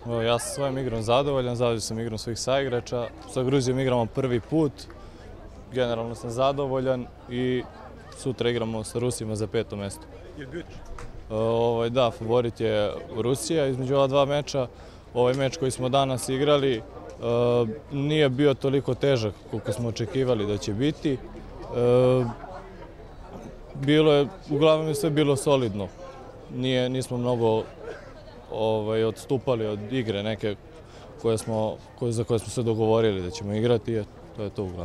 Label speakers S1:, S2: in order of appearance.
S1: Ja sam svojom igrom zadovoljan sam igrom svih saigrača. Sa Gruzijom igramo prvi put, generalno sam zadovoljan i sutra igramo sa Rusima za 5. mesto. Da, favorit je Rusija između ova dva meča. Ovaj meč koji smo danas igrali nije bio toliko težak koliko smo očekivali da će biti. Uglavnom je sve bilo solidno. Nismo mnogo odstupali od igre neke za koje smo se dogovorili da ćemo igrati. To je to uglavnom.